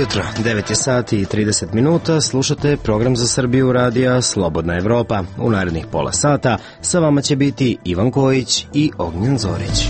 jutro, 9 je sati i 30 minuta, slušate program za Srbiju radija Slobodna Evropa. U narednih pola sata sa vama će biti Ivan Kojić i Ognjen Zorić.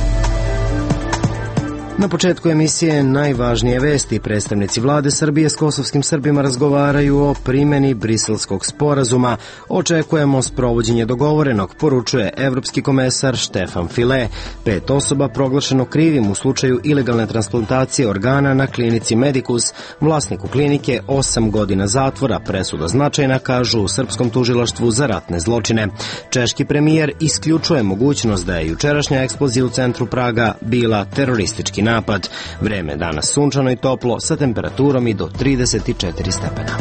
Na početku emisije najvažnije vesti. Predstavnici vlade Srbije s kosovskim Srbima razgovaraju o primjeni Briselskog sporazuma. Očekujemo sprovođenje dogovorenog, poručuje evropski komesar Štefan File. 5 osoba proglašeno krivim u slučaju ilegalne transplantacije organa na klinici Medicus. Vlasniku klinike 8 godina zatvora, presuda značajna, kažu u srpskom tužilaštvu za ratne zločine. Češki premijer isključuje mogućnost da je jučerašnja eksplozija u centru Praga bila teroristički napad. Vreme je danas sunčano i toplo sa temperaturom i do 34 stepena.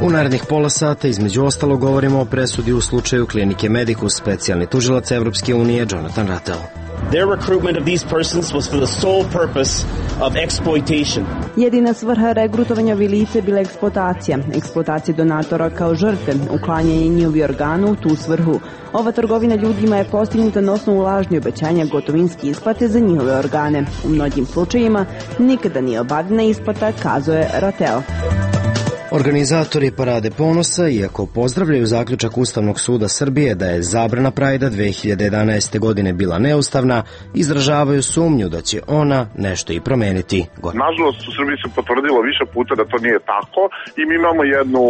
U narednih pola sata između ostalo govorimo o presudi u slučaju klinike Medicus. Specijalni tužilac Evropske unije Jonathan Rattel. Their recruitment of these persons was for the sole purpose of exploitation. Jedina svrha regrutovanja ovih lica je bila eksploatacija donatora kao žrtve, uklanjanje njihovih organa u tu svrhu. Ova trgovina ljudima je postignuta na osnovu lažnih obećanja gotovinske isplate za njihove organe. U mnogim slučajima nikada nije obavljena isplata, kazuje Rattel. Organizatori Parade ponosa, iako pozdravljaju zaključak Ustavnog suda Srbije da je zabrana Prajda 2011. godine bila neustavna, izražavaju sumnju da će ona nešto i promeniti. Nažalost, u Srbiji se potvrdilo više puta da to nije tako i mi imamo jednu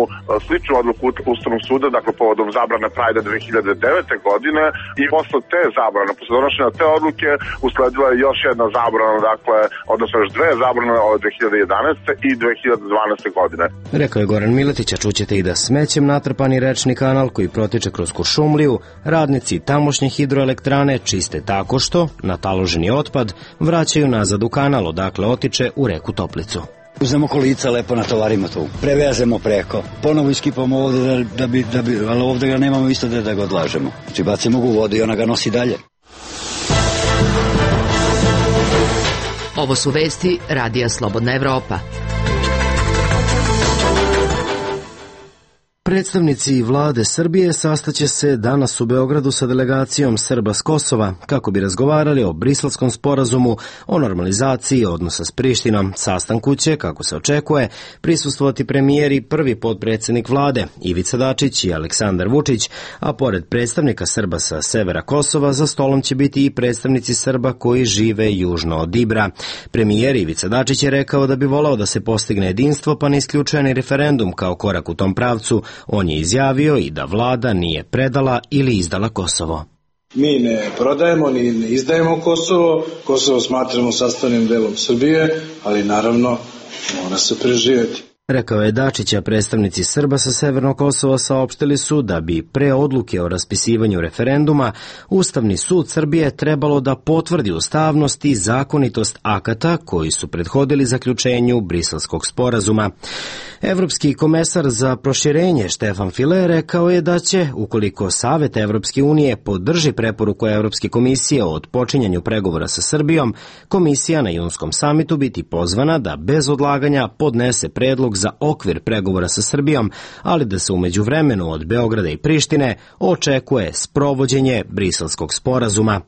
sličnu odluku Ustavnog suda, dakle povodom zabrane Prajda 2009. godine i posle te zabrane, posle donošenja te odluke, usledila je još jedna zabrana, dakle, odnosno još dve zabrane od 2011. i 2012. godine. Rekao je Goran Miletić, a čućete i da smećem natrpani rečni kanal koji protiče kroz Kuršumliju, radnici tamošnje hidroelektrane čiste tako što nataloženi otpad vraćaju nazad u kanal, odakle otiče u reku Toplicu. Uzmemo kolica, lepo natovarimo tu, prevezemo preko, ponovo iskipamo ovde ali ovde ga nemamo isto da ga odlažemo. Znači bacimo ga u vodu i ona ga nosi dalje. Ovo su vesti Radija Slobodna Evropa. Predstavnici vlade Srbije sastaće se danas u Beogradu sa delegacijom Srba s Kosova kako bi razgovarali o Briselskom sporazumu o normalizaciji odnosa s Prištinom. Sastanku će, kako se očekuje, prisustvovati premijer i prvi potpredsjednik vlade Ivica Dačić i Aleksandar Vučić, a pored predstavnika Srba sa severa Kosova za stolom će biti i predstavnici Srba koji žive južno od Ibra. Premijer Ivica Dačić je rekao da bi volao da se postigne jedinstvo, pa ne isključuje ni referendum kao korak u tom pravcu. On je izjavio i da vlada nije predala ili izdala Kosovo. Mi ne prodajemo ni ne izdajemo Kosovo. Kosovo smatramo sastavnim delom Srbije, ali naravno mora se preživjeti. Rekao je Dačića, predstavnici Srba sa Severnog Kosova saopštili su da bi pre odluke o raspisivanju referenduma Ustavni sud Srbije trebalo da potvrdi ustavnost i zakonitost akata koji su prethodili zaključenju Briselskog sporazuma. Evropski komesar za proširenje Štefan File rekao je da će, ukoliko Savet Evropske unije podrži preporuku Evropske komisije o otpočinjanju pregovora sa Srbijom, komisija na junskom samitu biti pozvana da bez odlaganja podnese predlog za okvir pregovora sa Srbijom, ali da se u međuvremenu od Beograda i Prištine očekuje sprovođenje Briselskog sporazuma.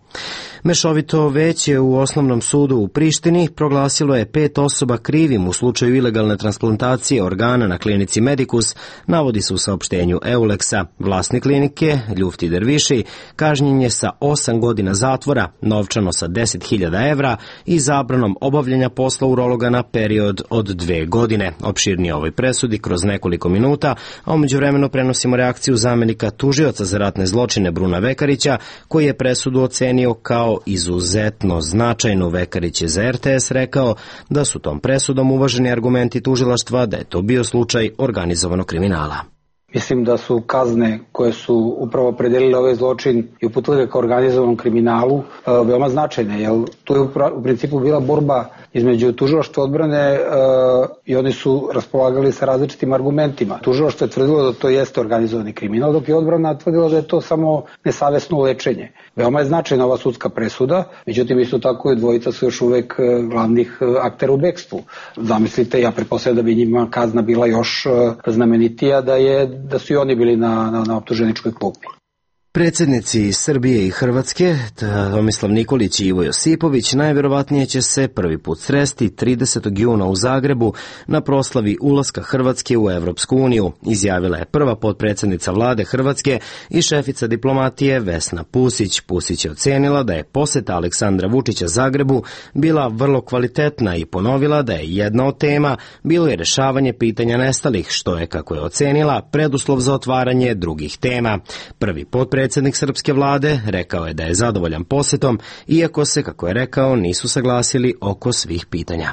Mešovito veće u Osnovnom sudu u Prištini proglasilo je 5 osoba krivim u slučaju ilegalne transplantacije organa na klinici Medicus, navodi se u saopštenju Euleksa. Vlasnik klinike, Ljufti Derviši, kažnjen je sa 8 godina zatvora, novčano sa 10.000 evra i zabranom obavljanja posla urologa na period od 2 godine. Opširnije ovoj presudi kroz nekoliko minuta, a umeđu vremenu prenosimo reakciju zamenika tužioca za ratne zločine Bruna Vekarića, koji je presudu ocenio kao izuzetno značajnu. Vekarić je za RTS rekao da su tom presudom uvaženi argumenti tužilaštva da je to bio slučaj organizovanog kriminala. Mislim da su kazne koje su upravo opredelile ovaj zločin i uputile ga ka organizovanom kriminalu veoma značajne, jer tu je u principu bila borba između tužilaštva odbrane i oni su raspolagali sa različitim argumentima. Tužilaštvo je tvrdilo da to jeste organizovani kriminal, dok je odbrana tvrdila da je to samo nesavesno lečenje. Veoma je značajna ova sudska presuda, međutim isto tako i dvojica su još uvek glavnih aktera u bekstvu. Zamislite, ja pretpostavljam da bi njima kazna bila još znamenitija da su i oni bili na optuženičkoj klupi. Predsjednici Srbije i Hrvatske, Tomislav Nikolić i Ivo Josipović, najvjerovatnije će se prvi put sresti 30. juna u Zagrebu na proslavi ulaska Hrvatske u Evropsku uniju, izjavila je prva potpredsjednica vlade Hrvatske i šefica diplomatije Vesna Pusić. Pusić je ocenila da je posjeta Aleksandra Vučića Zagrebu bila vrlo kvalitetna i ponovila da je jedna od tema bilo je rješavanje pitanja nestalih, što je, kako je ocenila, preduslov za otvaranje drugih tema. Prvi predsjednik srpske vlade rekao je da je zadovoljan posjetom, iako se, kako je rekao, nisu saglasili oko svih pitanja.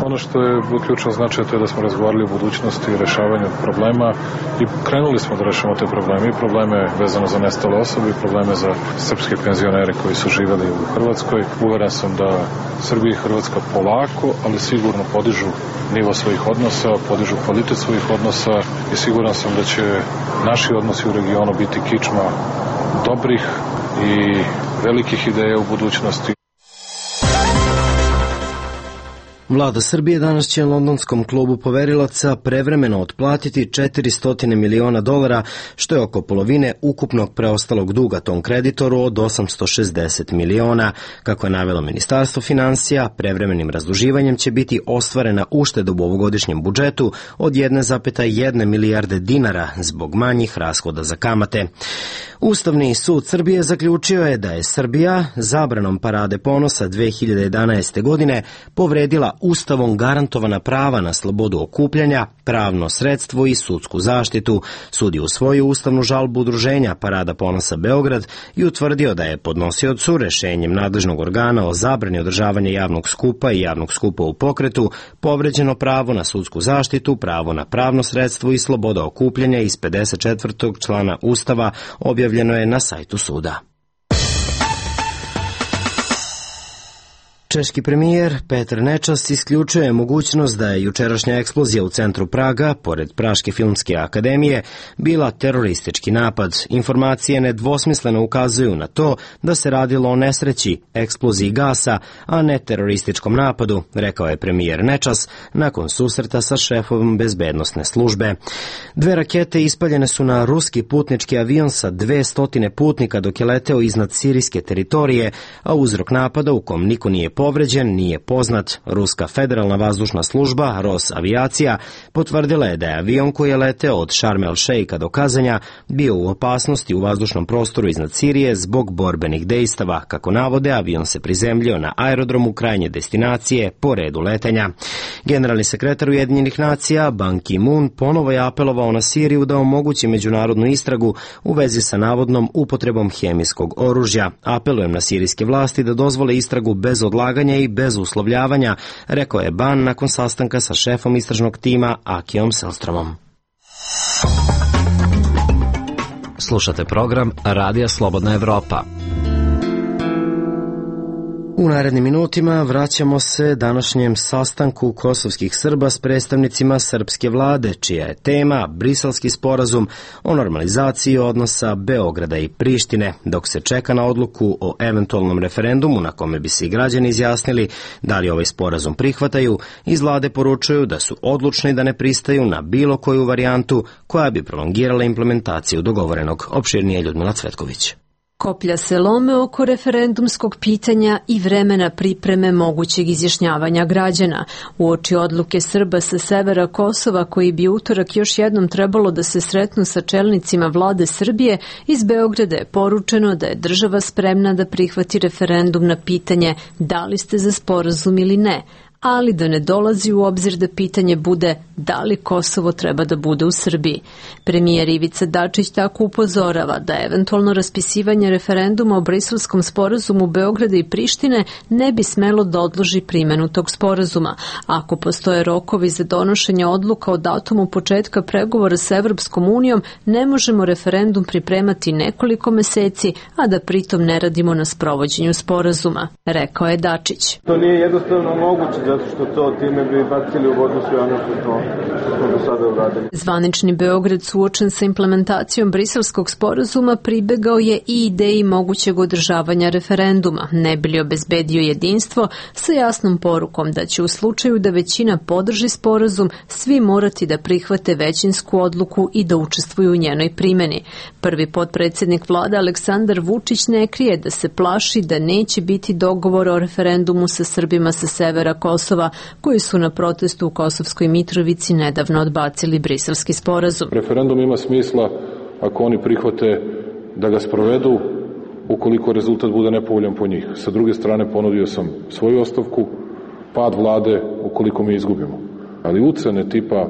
Ono što je ključno značaj to je da smo razgovarali o budućnosti i rešavanju problema i krenuli smo da rešavamo te probleme i probleme vezano za nestale osobe i probleme za srpske penzionere koji su živeli u Hrvatskoj. Uveren sam da Srbija i Hrvatska polako, ali sigurno podižu nivo svojih odnosa, podižu kvalitet svojih odnosa i siguran sam da će naši odnosi u regionu biti kičma dobrih i velikih ideja u budućnosti. Vlada Srbije danas će londonskom klubu poverilaca prevremeno otplatiti $400 miliona, što je oko polovine ukupnog preostalog duga tom kreditoru od $860 miliona. Kako je navelo Ministarstvo financija, prevremenim razduživanjem će biti ostvarena ušteda u ovogodišnjem budžetu od 1,1 milijarde dinara zbog manjih rashoda za kamate. Ustavni sud Srbije zaključio je da je Srbija zabranom Parade ponosa 2011. godine povredila Ustavom garantovana prava na slobodu okupljanja, pravno sredstvo i sudsku zaštitu. Sud je usvojio ustavnu žalbu udruženja Parada ponosa Beograd i utvrdio da je podnosiocu rešenjem nadležnog organa o zabrani održavanja javnog skupa i javnog skupa u pokretu povređeno pravo na sudsku zaštitu, pravo na pravno sredstvo i sloboda okupljanja iz 54. člana Ustava, objavljeno je na sajtu suda. Češki premijer Petr Nečas isključuje mogućnost da je jučerašnja eksplozija u centru Praga, pored Praške filmske akademije, bila teroristički napad. Informacije nedvosmisleno ukazuju na to da se radilo o nesreći, eksploziji gasa, a ne terorističkom napadu, rekao je premijer Nečas nakon susreta sa šefom bezbednosne službe. 2 rakete ispaljene su na ruski putnički avion sa 200 putnika dok je leteo iznad sirijske teritorije, a uzrok napada u kom niko nije povređen nije poznat. Ruska federalna vazdušna služba, Rosavijacija, potvrdila je da je avion koji je leteo od Šarm el Šeika do Kazanja bio u opasnosti u vazdušnom prostoru iznad Sirije zbog borbenih dejstava. Kako navode, avion se prizemljio na aerodromu krajnje destinacije po redu letenja. Generalni sekretar Ujedinjenih nacija Ban Ki-moon ponovo je apelovao na Siriju da omogući međunarodnu istragu u vezi sa navodnom upotrebom hemijskog oružja. Apelujem na sirijske vlasti da dozvole istragu bez odlaganja i bez uslovljavanja, rekao je Ban nakon sastanka sa šefom istražnog tima Akijom Selstromom. Slušate program Radija Slobodna Evropa. U narednim minutima vraćamo se današnjem sastanku kosovskih Srba s predstavnicima srpske vlade, čija je tema Briselski sporazum o normalizaciji odnosa Beograda i Prištine, dok se čeka na odluku o eventualnom referendumu na kome bi se i građani izjasnili da li ovaj sporazum prihvataju. Iz vlade poručuju da su odlučni da ne pristaju na bilo koju varijantu koja bi prolongirala implementaciju dogovorenog. Opširnije Ljudmila Cvetković. Koplja se lome oko referendumskog pitanja i vremena pripreme mogućeg izjašnjavanja građana. Uoči odluke Srba sa severa Kosova, koji bi utorak još jednom trebalo da se sretnu sa čelnicima vlade Srbije, iz Beograda je poručeno da je država spremna da prihvati referendum na pitanje da li ste za sporazum ili ne, ali da ne dolazi u obzir da pitanje bude da li Kosovo treba da bude u Srbiji. Premijer Ivica Dačić tako upozorava da eventualno raspisivanje referenduma o Briselskom sporazumu Beograda i Prištine ne bi smelo da odloži primenu tog sporazuma. Ako postoje rokovi za donošenje odluka o datumu početka pregovora sa Evropskom unijom, ne možemo referendum pripremati nekoliko meseci, a da pritom ne radimo na sprovođenju sporazuma, rekao je Dačić. To nije jednostavno moguće zato što to time bi bacili u vodu sve ono što smo do sada uradili. Zvanični Beograd suočen sa implementacijom Briselskog sporazuma pribegao je i ideji mogućeg održavanja referenduma, ne bi li obezbedio jedinstvo sa jasnom porukom da će u slučaju da većina podrži sporazum svi morati da prihvate većinsku odluku i da učestvuju u njenoj primjeni. Prvi potpredsjednik vlade Aleksandar Vučić ne krije da se plaši da neće biti dogovora o referendumu sa Srbima sa severa Kosova koji su na protestu u Kosovskoj Mitrovici nedavno odbacili Briselski sporazum. Referendum ima smisla ako oni prihvate da ga sprovedu ukoliko rezultat bude nepovoljan po njih. Sa druge strane ponudio sam svoju ostavku, pad vlade ukoliko mi izgubimo. Ali ucene tipa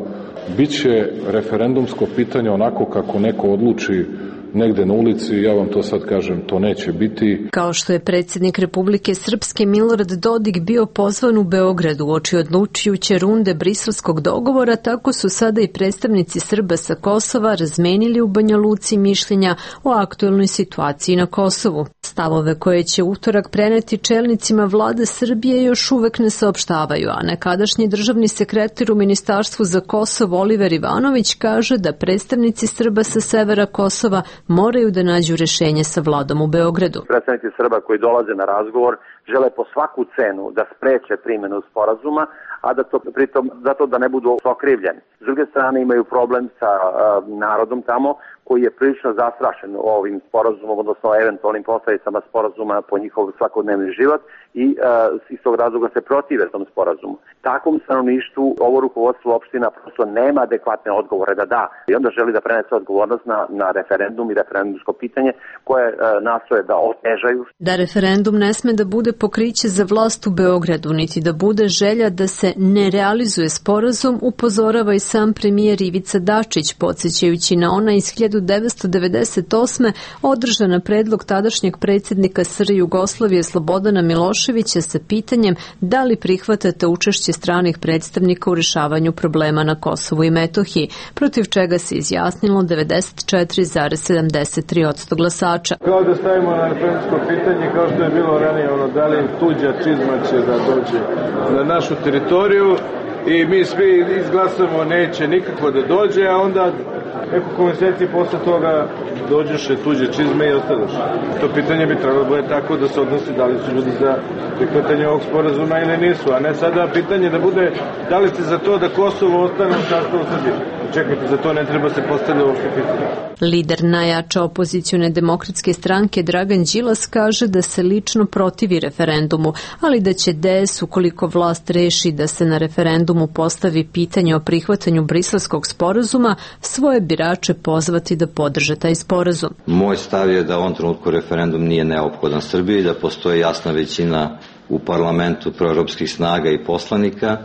bit će referendumsko pitanje onako kako neko odluči negde na ulici, ja vam to sad kažem, to neće biti. Kao što je predsjednik Republike Srpske Milorad Dodik bio pozvan u Beogradu uoči odlučujuće runde briselskog dogovora, tako su sada i predstavnici Srba sa Kosova razmenili u Banja Luci mišljenja o aktuelnoj situaciji na Kosovu. Stavove koje će utorak preneti čelnicima vlade Srbije još uvek ne saopštavaju, a nekadašnji državni sekretar u Ministarstvu za Kosovo Oliver Ivanović kaže da predstavnici Srba sa severa Kosova moraju da nađu rešenje sa vladom u Beogradu. Predstavnici Srba koji dolaze na razgovor žele po svaku cenu da spreče primjenu sporazuma, a da to pritom zato da ne budu okrivljeni. S druge strane imaju problem sa narodom tamo koji je prilično zastrašen ovim sporazumom, odnosno eventualnim posledicama sporazuma po njihov svakodnevni život i iz tog razloga se protive tom sporazumu. Takvom stanovništvu ovo rukovodstvo opština prosto nema adekvatne odgovore da i onda želi da prenese odgovornost na referendum i referendumsko pitanje koje nastoje da otežaju. Da referendum ne sme da bude pokriće za vlast u Beogradu, niti da bude želja da se ne realizuje sporazum, upozorava i sam premijer Ivica Dačić, podsjećajući na ona iz 1998. održana na predlog tadašnjeg predsjednika SR Jugoslavije Slobodana Miloševića sa pitanjem da li prihvatate učešće stranih predstavnika u rešavanju problema na Kosovu i Metohiji, protiv čega se izjasnilo 94,73% glasača. Kao da stavimo na referendumsko pitanje, kao što je bilo ranije, da li tuđa čizma će da dođe na našu teritoriju i mi svi izglasamo neće nikako da dođe, a onda nekoliko meseci posle toga dođeše tuđe čizme i ostaneš. To pitanje bi trebalo bude tako da se odnosi da li su ljudi za prihvatanje ovog sporazuma ili nisu, a ne sada pitanje da bude da li ste za to da Kosovo ostane u sastavu Srbije. Čekajte, za to ne treba se postaviti uopšte pitanje. Lider najjače opozicione demokratske stranke Dragan Đilas kaže da se lično protivi referendumu, ali da će DS, ukoliko vlast reši da se na referendumu postavi pitanje o prihvatanju Briselskog sporazuma, svoje birače pozvati da podrže taj sporazum. Moj stav je da u ovom trenutku referendum nije neophodan Srbiji, da postoji jasna većina u parlamentu proevropskih snaga i poslanika,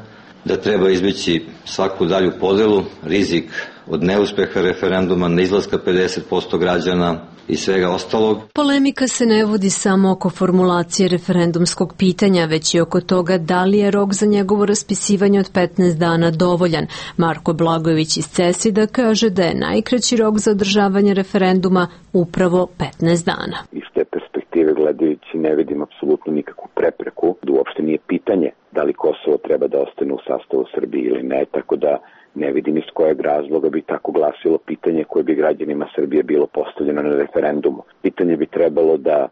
da treba izbeći svaku dalju podelu, rizik od neuspeha referenduma, neizlaska 50% građana i svega ostalog. Polemika se ne vodi samo oko formulacije referendumskog pitanja, već i oko toga da li je rok za njegovo raspisivanje od 15 dana dovoljan. Marko Blagojević iz CESID-a kaže da je najkraći rok za održavanje referenduma upravo 15 dana. Iz te perspektive gledajući ne vidim apsolutno nikakvu prepreku, da uopšte nije pitanje da li Kosovo treba da ostane u sastavu Srbije ili ne, tako da ne vidim iz kojeg razloga bi tako glasilo pitanje koje bi građanima Srbije bilo postavljeno na referendumu. Pitanje bi trebalo da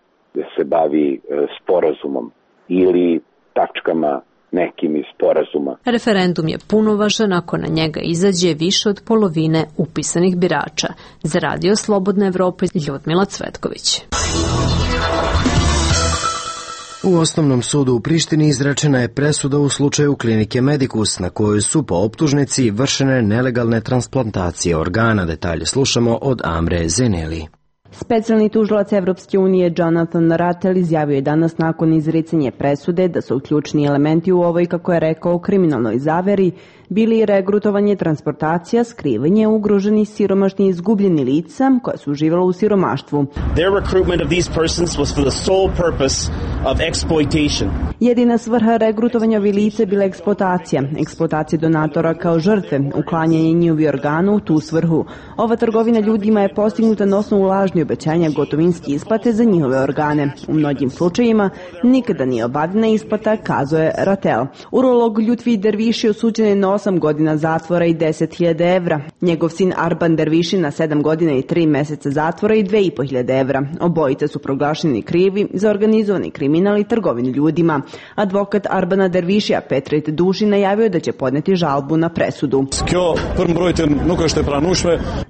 se bavi sporazumom ili tačkama nekim iz sporazuma. Referendum je punovažan ako na njega izađe više od polovine upisanih birača. Za Radio Slobodna Evropa, Ljudmila Cvetković. U Osnovnom sudu u Prištini izrečena je presuda u slučaju klinike Medicus na kojoj su po optužnici vršene nelegalne transplantacije organa. Detalje slušamo od Amre Zeneli. Specijalni tužilac Evropske unije Jonathan Rattel izjavio je danas nakon izricanja presude da su ključni elementi u ovoj, kako je rekao, kriminalnoj zaveri bili regrutovanje, transportacija, skrivanje ugroženih, siromašnih i izgubljenih lica koja su živjela u siromaštvu. Their recruitment of these persons was for the sole purpose of exploitation. Jedina svrha regrutovanja ovih lica bila eksploatacija donatora kao žrtve, uklanjanje njihovih organa u tu svrhu. Ova trgovina ljudima je postignuta na osnovu lažnih obećanja gotovinske isplate za njihove organe. U mnogim slučajima nikada nije obavljena isplata, kazuje Ratel. Urolog Ljutvi Derviši osuđen je na 8 godina zatvora i 10.000 evra. Njegov sin Arban Derviši na 7 godina i 3 meseca zatvora i 2.500 evra. Obojice su proglašeni krivi za organizovani kriminal i trgovinu ljudima. Advokat Arbana Dervišija Petrit Duši najavio da će podneti žalbu na presudu.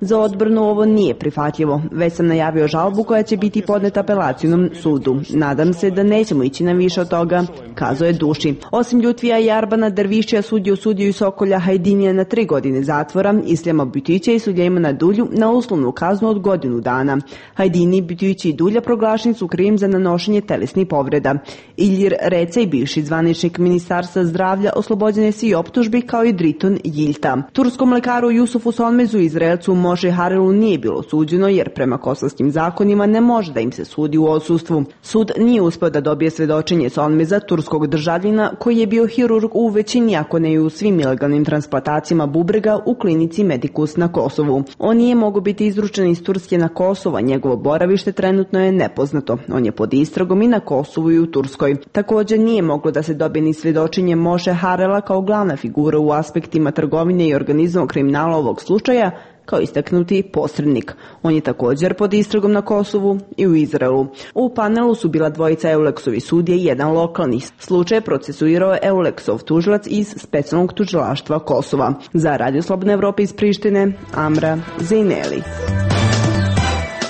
Za odbranu ovo nije prihvatljivo. Već sam najavio žalbu koja će biti podneta apelacijnom sudu. Nadam se da nećemo ići na više od toga, kazuje Duši. Osim Ljutvija i Arbana Dervišija sudiju i Sokolja Hajdinija na 3 godine zatvora, Isljama Butića i Suljejmana Dulju na uslovnu kaznu od godinu dana. Hajdini, Butić i Dulja proglašeni su krivim za nanošenje telesnih povreda. Iljir Recej, bivši zvaničnik Ministarstva zdravlja, oslobođen je svih optužbi kao i Driton Jiljta. Turskom lekaru Jusufu Sonmezu i Izraelcu Moše Harelu nije bilo suđeno jer prema kosovskim zakonima ne može da im se sudi u odsustvu. Sud nije uspeo da dobije svedočenje Sonmeza, turskog državljana koji je bio hirurg u većini, ako ne i u svim ilegalnim transplantacijama bubrega u klinici Medicus na Kosovu. On nije mogao biti izručen iz Turske na Kosovo, njegovo boravište trenutno je nepoznato. On je pod istragom i na Kosovu i u Turskoj. Također nije moglo da se dobije ni svedočenje Moše Harela kao glavna figura u aspektima trgovine i organizovanog kriminala ovog slučaja, kao istaknuti posrednik. On je također pod istragom na Kosovu i u Izraelu. U panelu su bila dvojica Euleksovi sudije i jedan lokalni. Slučaj procesuirao Euleksov tužilac iz specijalnog tužilaštva Kosova. Za Radio Slobodna Evropa iz Prištine, Amra Zejneli.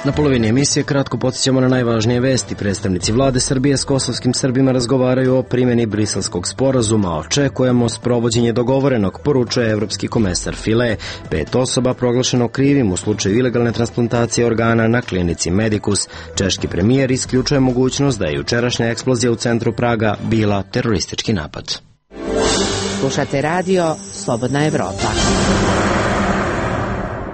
Na polovini emisije kratko podsjećamo na najvažnije vesti. Predstavnici vlade Srbije s kosovskim Srbima razgovaraju o primjeni Briselskog sporazuma. Očekujemo sprovođenje dogovorenog, poručuje evropski komesar File. 5 osoba proglašeno krivim u slučaju ilegalne transplantacije organa na klinici Medicus. Češki premijer isključuje mogućnost da je jučerašnja eksplozija u centru Praga bila teroristički napad. Slušate radio Slobodna Evropa.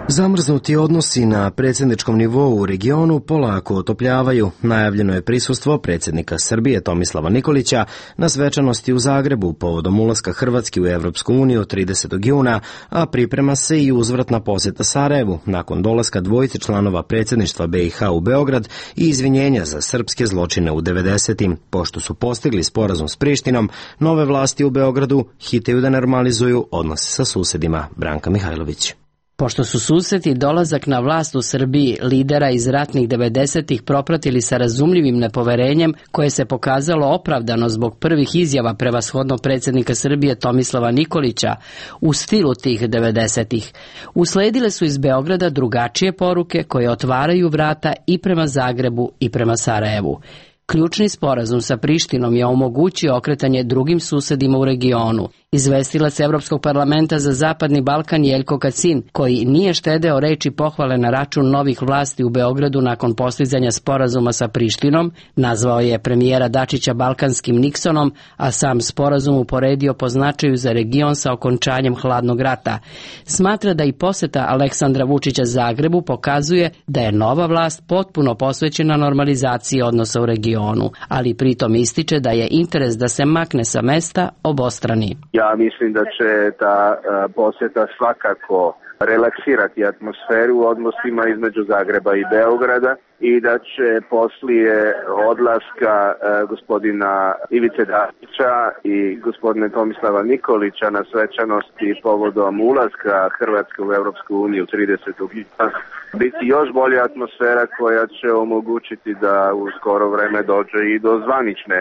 Zamrznuti odnosi na predsjedničkom nivou u regionu polako otopljavaju. Najavljeno je prisustvo predsjednika Srbije Tomislava Nikolića na svečanosti u Zagrebu povodom ulaska Hrvatske u Evropsku uniju 30. juna, a priprema se i uzvratna posjeta Sarajevu nakon dolaska dvojice članova predsjedništva BiH u Beograd i izvinjenja za srpske zločine u 90. Pošto su postigli sporazum s Prištinom, nove vlasti u Beogradu hitaju da normalizuju odnose sa susedima. Branka Mihajlović. Pošto su susjedi dolazak na vlast u Srbiji lidera iz ratnih 90-ih propratili sa razumljivim nepoverenjem koje se pokazalo opravdano zbog prvih izjava prevashodnog predsjednika Srbije Tomislava Nikolića u stilu tih 90-ih, usledile su iz Beograda drugačije poruke koje otvaraju vrata i prema Zagrebu i prema Sarajevu. Ključni sporazum sa Prištinom je omogućio okretanje drugim susedima u regionu. Izvestilac Evropskog parlamenta za Zapadni Balkan Jeljko Kacin, koji nije štedeo reči pohvale na račun novih vlasti u Beogradu nakon postizanja sporazuma sa Prištinom, nazvao je premijera Dačića balkanskim Niksonom, a sam sporazum uporedio po značaju za region sa okončanjem hladnog rata. Smatra da i posjeta Aleksandra Vučića Zagrebu pokazuje da je nova vlast potpuno posvećena normalizaciji odnosa u regionu, ali pritom ističe da je interes da se makne sa mesta obostrani. Ja mislim da će ta posjeta svakako relaksirati atmosferu u odnosima između Zagreba i Beograda i da će poslije odlaska gospodina Ivice Dačića i gospodine Tomislava Nikolića na svečanosti povodom ulaska Hrvatske u Evropsku uniju 30. juna biti još bolja atmosfera koja će omogućiti da u skoro vreme dođe i do zvanične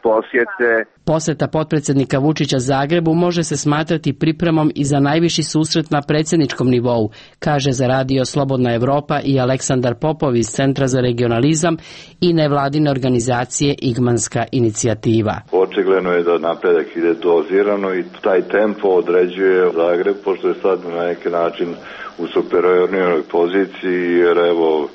posjete. Posjeta potpredsjednika Vučića Zagrebu može se smatrati pripremom i za najviši susret na predsjedničkom nivou, kaže za radio Slobodna Evropa i Aleksandar Popov iz Centra za regionalizam i nevladine organizacije Igmanska inicijativa. Očigledno je da napredak ide dozirano i taj tempo određuje Zagreb, pošto je sad na neki način u superiornijoj poziciji, jer evo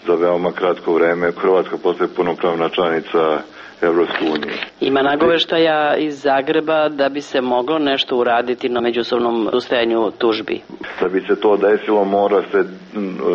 za veoma kratko vreme Hrvatska postaje punopravna članica Evropske unije. Ima nagoveštaja iz Zagreba da bi se moglo nešto uraditi na međusobnom ustajanju tužbi. Da bi se to desilo, mora se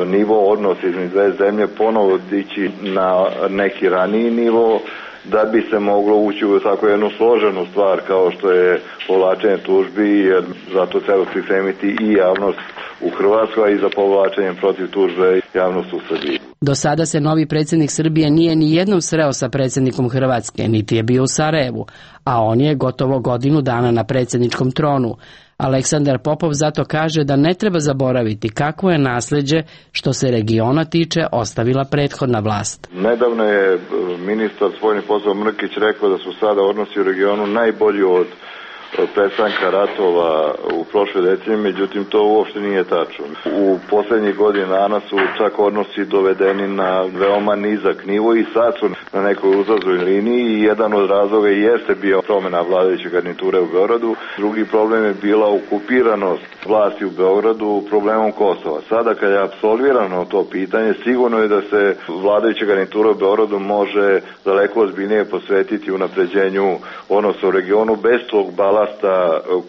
nivo odnosa između dve zemlje ponovo dići na neki raniji nivo, da bi se moglo ući u tako jednu složenu stvar kao što je povlačenje tužbi, jer zato treba pripremiti i javnost u Hrvatskoj, a i za povlačenjem protiv tužbe javnost u Srbiji. Do sada se novi predsjednik Srbije nije ni jednom sreo sa predsjednikom Hrvatske, niti je bio u Sarajevu, a on je gotovo godinu dana na predsjedničkom tronu. Aleksandar Popov zato kaže da ne treba zaboraviti kakvo je nasljeđe što se regiona tiče ostavila prethodna vlast. Nedavno je ministar spoljnih poslova Mrkić rekao da su sada odnosi u regionu najbolji od prestanka ratova u prošle decenije, međutim to uopšte nije tačno. U poslednjih godina dana su čak odnosi dovedeni na veoma nizak nivo i sad su na nekoj uzlaznoj liniji i jedan od razloga jeste bio promjena vladajuće garniture u Beogradu. Drugi problem je bila okupiranost vlasti u Beogradu problemom Kosova. Sada kad je apsolvirano to pitanje, sigurno je da se vladajuća garnitura u Beogradu može daleko ozbiljnije posvetiti unapređenju odnosa u regionu bez tog balasta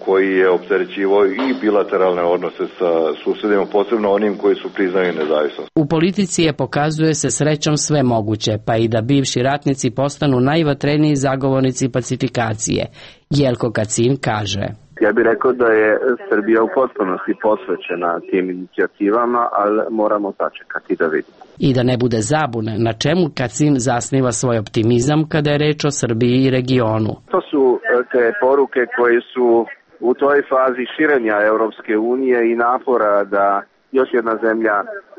koji je opterećivao i bilateralne odnose sa susedima, posebno onim koji su priznali nezavisnost. U politici je pokazuje se srećom sve moguće, pa i da bivši ratnici postanu najvatreniji zagovornici pacifikacije. Jelko Kacin kaže: Ja bih rekao da je Srbija u potpunosti posvećena tim inicijativama, ali moramo sačekati da vidimo. I da ne bude zabune, na čemu Kacin zasniva svoj optimizam kada je reč o Srbiji i regionu. To su te poruke koje su u toj fazi širenja Europske unije i napora da još jedna zemlja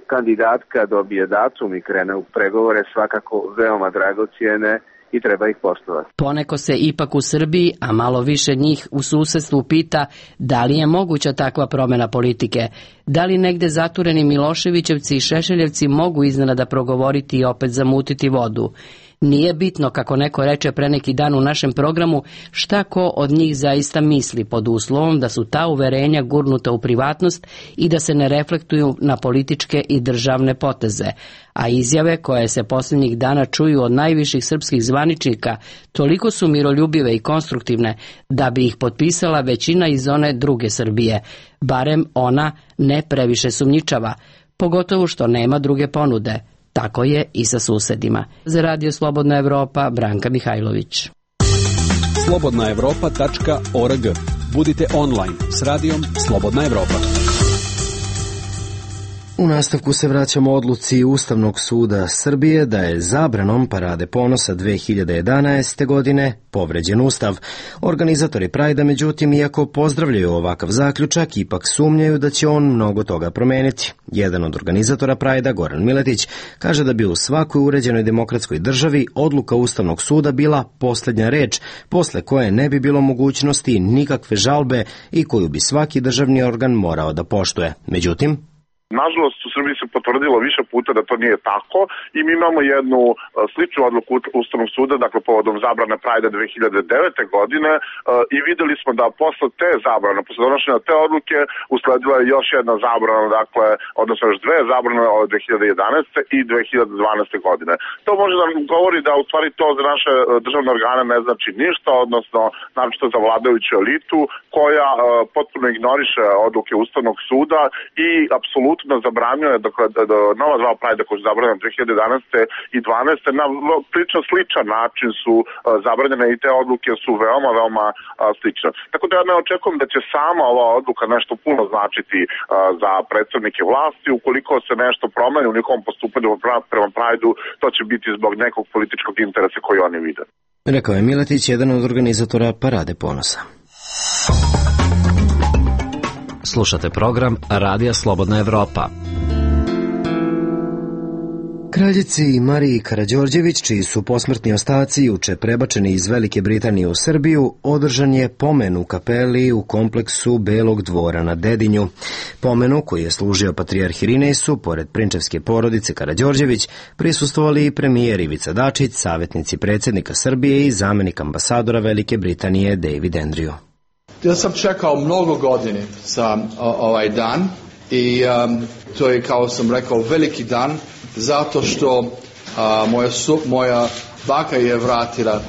kandidatka dobije datum i krene u pregovore, svakako veoma dragocjene i treba ih poštovati. Poneko se ipak u Srbiji, a malo više njih u susedstvu pita da li je moguća takva promjena politike, da li negde zatureni Miloševićevci i Šešeljevci mogu iznenada progovoriti i opet zamutiti vodu. Nije bitno, kako neko reče pre neki dan u našem programu, šta ko od njih zaista misli, pod uslovom da su ta uverenja gurnuta u privatnost i da se ne reflektuju na političke i državne poteze. A izjave koje se posljednjih dana čuju od najviših srpskih zvaničnika toliko su miroljubive i konstruktivne da bi ih potpisala većina iz one druge Srbije, barem ona ne previše sumnjičava, pogotovo što nema druge ponude. Tako je i sa susedima. Za Radio Slobodna Evropa, Branka Mihajlović. slobodnaevropa.org. Budite online s radijom Slobodna Evropa. U nastavku se vraćamo odluci Ustavnog suda Srbije da je zabranom Parade ponosa 2011. godine povređen Ustav. Organizatori Prajda, međutim, iako pozdravljaju ovakav zaključak, ipak sumnjaju da će on mnogo toga promeniti. Jedan od organizatora Prajda, Goran Miletić, kaže da bi u svakoj uređenoj demokratskoj državi odluka Ustavnog suda bila posljednja reč, posle koje ne bi bilo mogućnosti nikakve žalbe i koju bi svaki državni organ morao da poštuje. Međutim, nažalost, u Srbiji se potvrdilo više puta da to nije tako i mi imamo jednu sličnu odluku Ustavnog suda, dakle povodom zabrane Prajda 2009. godine i videli smo da posle te zabrane, posle donošenja te odluke, usledila je još jedna zabrana, dakle, odnosno još dve zabrane od 2011. i 2012. godine. To može da govori da u stvari to za naše državne organe ne znači ništa, odnosno naročito za vladajuću elitu koja potpuno ignoriše odluke Ustavnog suda i apsolutno zabranjuje da nova dva Prajda koja su zabranjena 2011. i 2012. na prilično sličan način su zabranjene i te odluke su veoma slične. Tako da ja ne očekujem da će sama ova odluka nešto puno značiti za predstavnike vlasti. Ukoliko se nešto promeni u njihovom postupanju prema Prajdu, to će biti zbog nekog političkog interesa koji oni vide. Rekao je Miletić, jedan od organizatora Parade ponosa. Slušate program Radija Slobodna Evropa. Kraljici Mariji Karađorđević, čiji su posmrtni ostaci juče prebačeni iz Velike Britanije u Srbiju, održan je pomen u kapeli u kompleksu Belog dvora na Dedinju. Pomenu, koji je služio patrijarh Irinesu, pored prinčevske porodice Karađorđević, prisustvovali i premijer Ivica Dačić, savjetnici predsjednika Srbije i zamenik ambasadora Velike Britanije David Andrew. Ja sam čekao mnogo godine za ovaj dan i to je, kao sam rekao, veliki dan zato što moja baka je vratila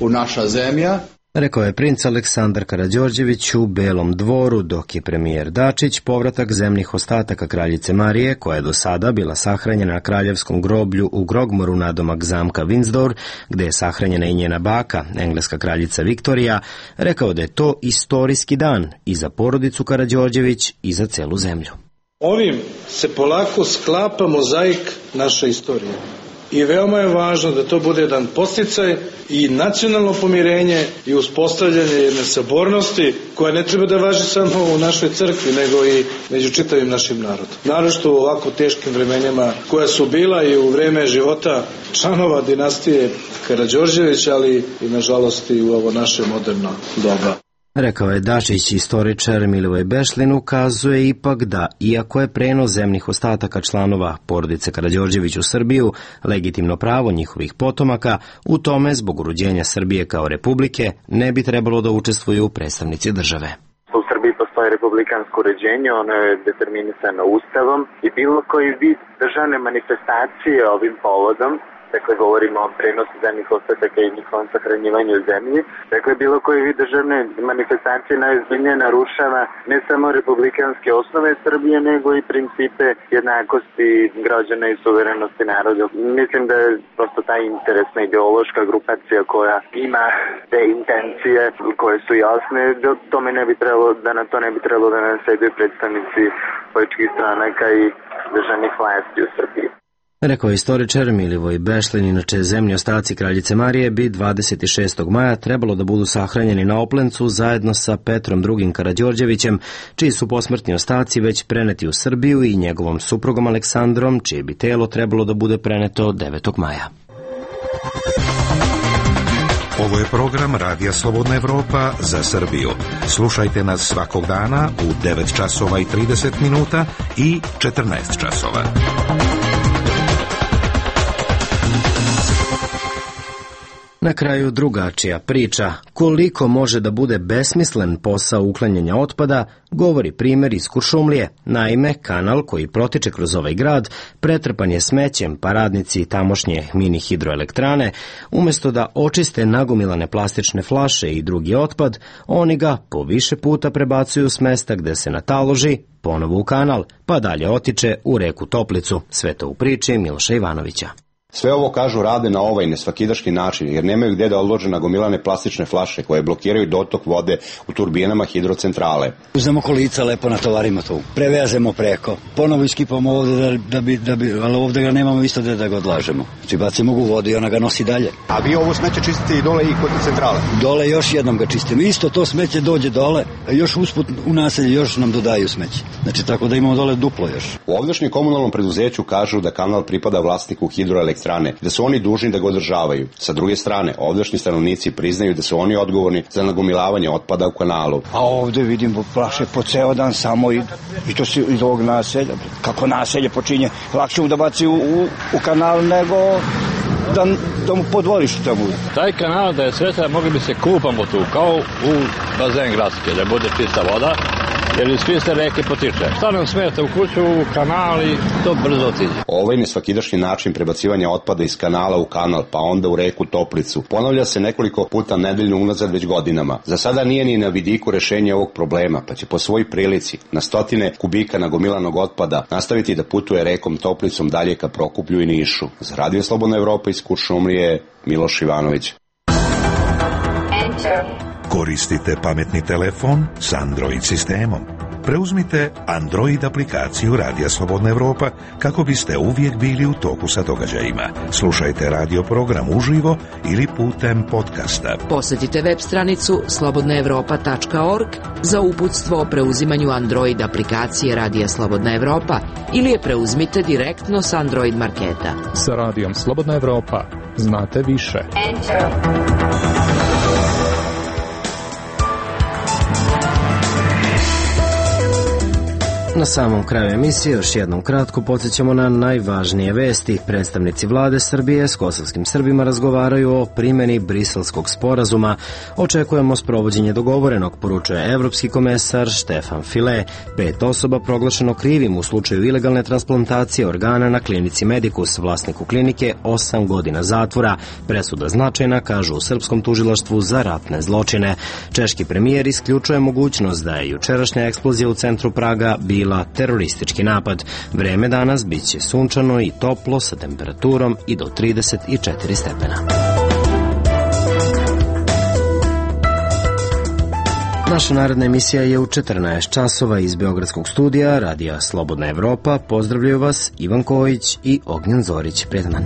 u naša zemlja. Rekao je princ Aleksandar Karađorđević u Belom dvoru, dok je premijer Dačić povratak zemnih ostataka kraljice Marije, koja je do sada bila sahranjena na kraljevskom groblju u Grogmoru nadomak zamka Windsor, gde je sahranjena i njena baka, engleska kraljica Viktorija, rekao da je to istorijski dan i za porodicu Karađorđević i za celu zemlju. Ovim se polako sklapa mozaik naše istorije. I veoma je važno da to bude jedan podsticaj i nacionalno pomirenje i uspostavljanje jedne sabornosti koja ne treba da važi samo u našoj crkvi, nego i među čitavim našim narodom. Naročito u ovako teškim vremenima koja su bila i u vreme života članova dinastije Karađorđević, ali i nažalost i u ovo naše moderno doba. Rekao je Dačić, istoričar Milivoj Bešlin ukazuje ipak da, iako je prenos zemnih ostataka članova porodice Karađorđević u Srbiju legitimno pravo njihovih potomaka, u tome zbog uređenja Srbije kao republike ne bi trebalo da učestvuju predstavnici države. U Srbiji postoji republikansko uređenje, ono je determinisano Ustavom i bilo koji vid državne manifestacije ovim povodom, dakle govorimo o prenosu zemnih ostataka i njihovom sahranjivanju u zemlji. Dakle, bilo koji vid državne manifestacije najozbiljnije narušava ne samo republikanske osnove Srbije, nego i principe jednakosti građana i suverenosti naroda. Mislim da je prosto ta interesna ideološka grupacija koja ima te intencije koje su jasne, da tome ne bi trebalo, da na to ne bi trebalo da naseduju predstavnici političkih stranaka i državnih vlasti u Srbiji. Rekao je istoričar Milivoj Bešlin, inače zemlji ostaci kraljice Marije bi 26. maja trebalo da budu sahranjeni na Oplencu zajedno sa Petrom II. Karađorđevićem, čiji su posmrtni ostaci već preneti u Srbiju, i njegovom suprugom Aleksandrom, čije bi telo trebalo da bude preneto 9. maja. Ovo je program Radija Slobodna Evropa za Srbiju. Slušajte nas svakog dana u 9 časova i 30 minuta i 14 časova. Na kraju drugačija priča. Koliko može da bude besmislen posao uklanjanja otpada, govori primjer iz Kuršumlije. Naime, kanal koji protiče kroz ovaj grad pretrpan je smećem, pa radnici tamošnje mini hidroelektrane, umjesto da očiste nagomilane plastične flaše i drugi otpad, oni ga po više puta prebacuju s mesta gde se nataloži, ponovo u kanal, pa dalje otiče u reku Toplicu. Sve to u priči Miloša Ivanovića. Sve ovo, kažu, rade na ovaj nesvakidaški način, jer nemaju gde da odlože nagomilane plastične flaše koje blokiraju dotok vode u turbinama hidrocentrale. Uzmemo kolica, lepo natovarimo to, prevezemo preko, ponovo iskipamo ovde ali ovde ga nemamo isto gde da ga odlažemo. Znači bacimo u vodu i ona ga nosi dalje. A vi ovo smeće čistite i dole i kod centrale? Dole još jednom ga čistimo. Isto to smeće dođe dole, a još usput u naselje još nam dodaju smeće. Znači tako da imamo dole duplo još. U ovdašnjem komunalnom preduzeću kažu da kanal pripada vlasniku hidroelektrane, da su oni dužni da ga održavaju. Sa druge strane, ovdašnji stanovnici priznaju da su oni odgovorni za nagomilavanje otpada u kanalu. A ovde vidimo plaše po ceo dan samo i to se iz ovog naselja. Kako naselje počinje, lakše mu da baci u kanal nego da mu podvoriš tamo. Taj kanal da je sveta, mogli bi se kupamo tu, kao u bazen gradske, da bude čista voda, jer iz čiste reke potiče. Šta nam smeta u kuću, u kanal i to brzo otiđe. Ovaj nesvakidašnji način prebacivanja otpada iz kanala u kanal, pa onda u reku Toplicu, ponavlja se nekoliko puta nedeljno unazad već godinama. Za sada nije ni na vidiku rešenja ovog problema, pa će po svoj prilici na stotine kubika nagomilanog otpada nastaviti da putuje rekom Toplicom dalje ka Prokuplju i Nišu. Za Radio Slobodna Evropa iz Kuršumlije, Miloš Ivanović. Koristite pametni telefon s Android sistemom. Preuzmite Android aplikaciju Radija Slobodna Evropa kako biste uvijek bili u toku sa događajima. Slušajte radio program uživo ili putem podcasta. Posjetite web stranicu slobodnaevropa.org za uputstvo o preuzimanju Android aplikacije Radija Slobodna Evropa ili je preuzmite direktno s Android marketa. Sa Radijom Slobodna Evropa znate više. Na samom kraju emisije još jednom kratko podsjećamo na najvažnije vesti. Predstavnici vlade Srbije s kosovskim Srbima razgovaraju o primjeni Briselskog sporazuma. Očekujemo sprovođenje dogovorenog, poručuje evropski komesar Štefan File. 5 osoba proglašeno krivim u slučaju ilegalne transplantacije organa na klinici Medicus. Vlasniku klinike 8 godina zatvora. Presuda značajna, kažu u srpskom tužilaštvu za ratne zločine. Češki premijer isključuje mogućnost da je jučerašnja eksplozija u centru Praga bila teroristički napad. Vreme danas bit će sunčano i toplo sa temperaturom i do 34 stepena. Naša naredna emisija je u 14 časova iz Beogradskog studija Radija Slobodna Evropa. Pozdravljaju vas Ivan Kojić i Ognjen Zorić. Prijetan dan.